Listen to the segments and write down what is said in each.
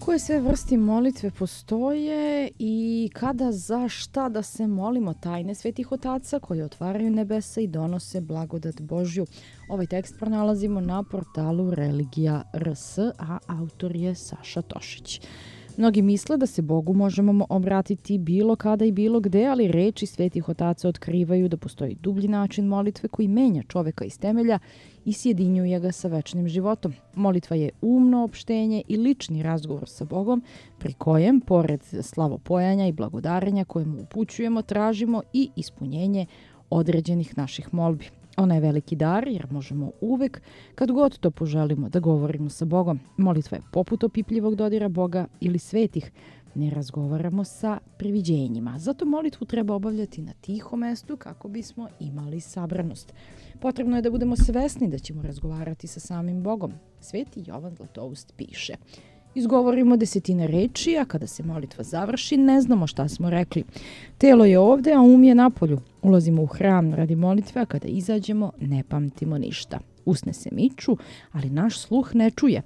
Koje sve vrsti molitve postoje i kada, za šta da se molimo? Tajne svetih otaca koje otvaraju nebesa i donose blagodat Božju. Ovaj tekst pronalazimo na portalu Religija.rs, a autor je Saša Tošić. Mnogi misle da se Bogu možemo obratiti bilo kada i bilo gde, ali reči svetih otaca otkrivaju da postoji dublji način molitve koji menja čoveka iz temelja i sjedinjuje ga sa večnim životom. Molitva je umno opštenje i lični razgovor sa Bogom, pri kojem, pored slavopojanja i blagodarenja koje mu upućujemo, tražimo i ispunjenje određenih naših molbi. Ona je veliki dar jer možemo uvek, kad god to poželimo, da govorimo sa Bogom. Molitva je poput opipljivog dodira Boga ili svetih. Ne razgovaramo sa priviđenjima. Zato molitvu treba obavljati na tihom mestu kako bismo imali sabranost. Potrebno je da budemo svesni da ćemo razgovarati sa samim Bogom. Sveti Jovan Zlatoust piše: izgovorimo 10 reči, a kada se molitva završi, ne znamo šta smo rekli. Telo je ovde, a um je napolju. Ulazimo u hram radi molitve, a kada izađemo, ne pamtimo ništa. Usne se miču, ali naš sluh ne čuje.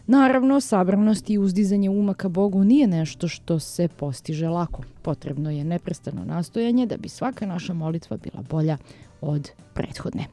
Naravno, sabranost i uzdizanje uma ka Bogu nije nešto što se postiže lako. Potrebno je neprestano nastojanje da bi svaka naša molitva bila bolja od prethodne.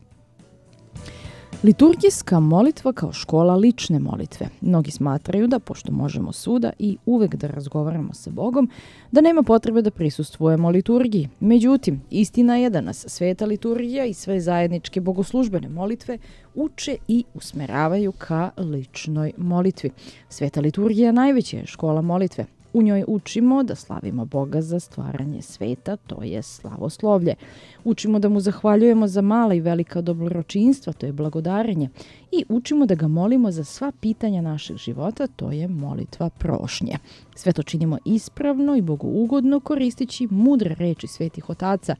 Liturgijska molitva kao škola lične molitve. Mnogi smatraju da, pošto možemo svuda i uvek da razgovaramo sa Bogom, da nema potrebe da prisustvujemo liturgiji. Međutim, istina je da nas sveta liturgija i sve zajedničke bogoslužbene molitve uče i usmeravaju ka ličnoj molitvi. Sveta liturgija najveća je škola molitve. U njoj učimo da slavimo Boga za stvaranje sveta, to je slavoslovlje. Učimo da mu zahvaljujemo za mala i velika dobročinstva, to je blagodarenje. I učimo da ga molimo za sva pitanja našeg života, to je molitva prošnje. Sve to činimo ispravno i bogougodno koristeći mudre reči svetih otaca,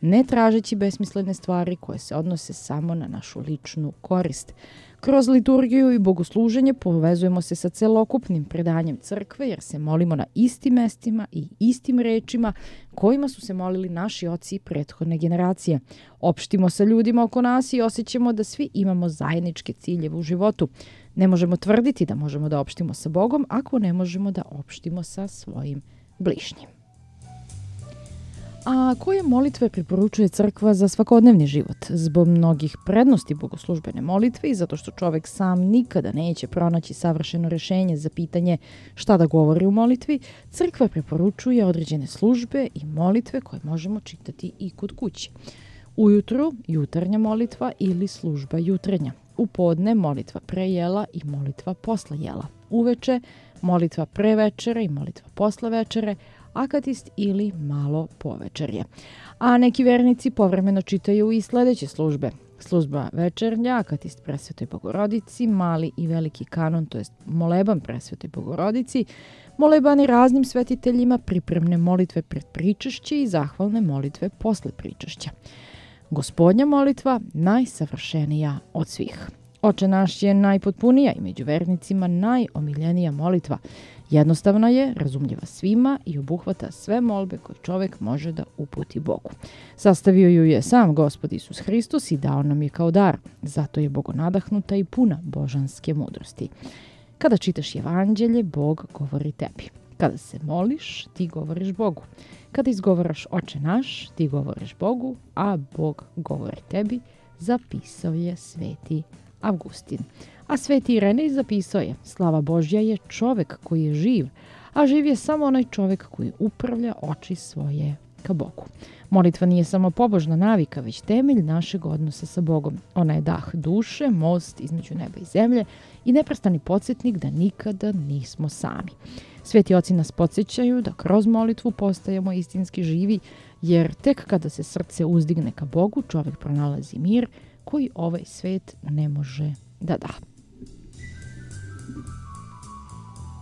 ne tražeći besmislene stvari koje se odnose samo na našu ličnu korist. Kroz liturgiju i bogosluženje povezujemo se sa celokupnim predanjem crkve jer se molimo na istim mestima i istim rečima kojima su se molili naši oci prethodne generacije. Opštimo sa ljudima oko nas i osjećamo da svi imamo zajedničke ciljeve u životu. Ne možemo tvrditi da možemo da opštimo sa Bogom ako ne možemo da opštimo sa svojim bližnjim. A koje molitve preporučuje crkva za svakodnevni život? Zbog mnogih prednosti bogoslužbene molitve i zato što čovek sam nikada neće pronaći savršeno rešenje za pitanje šta da govori u molitvi, crkva preporučuje određene službe i molitve koje možemo čitati i kod kuće. Ujutru jutarnja molitva ili služba jutrenja. U podne molitva pre jela i molitva posle jela. Uveče molitva pre večere i molitva posle večere, akatist ili malo povečerje. A neki vernici povremeno čitaju i sledeće službe. Služba večernja, akatist presvetoj Bogorodici, mali i veliki kanon, to jest moleban presvetoj Bogorodici, molebani raznim svetiteljima, pripremne molitve pred pričašće i zahvalne molitve posle pričašća. Gospodnja molitva najsavršenija od svih. Oče naš je najpotpunija i među vernicima najomiljenija molitva. Jednostavna je, razumljiva svima i obuhvata sve molbe koje čovek može da uputi Bogu. Sastavio ju je sam Gospod Isus Hristos i dao nam je kao dar. Zato je bogonadahnuta i puna božanske mudrosti. Kada čitaš evanđelje, Bog govori tebi. Kada se moliš, ti govoriš Bogu. Kada izgovaraš Oče naš, ti govoriš Bogu, a Bog govori tebi, zapisao je sveti Avgustin. A sveti Irenej zapisao je: slava Božja je čovek koji je živ, a živ je samo onaj čovek koji upravlja oči svoje ka Bogu. Molitva nije samo pobožna navika, već temelj našeg odnosa sa Bogom. Ona je dah duše, most između neba i zemlje i neprestani podsjetnik da nikada nismo sami. Sveti oci nas podsjećaju da kroz molitvu postajemo istinski živi, jer tek kada se srce uzdigne ka Bogu, čovek pronalazi mir koji ovaj svet ne može da da.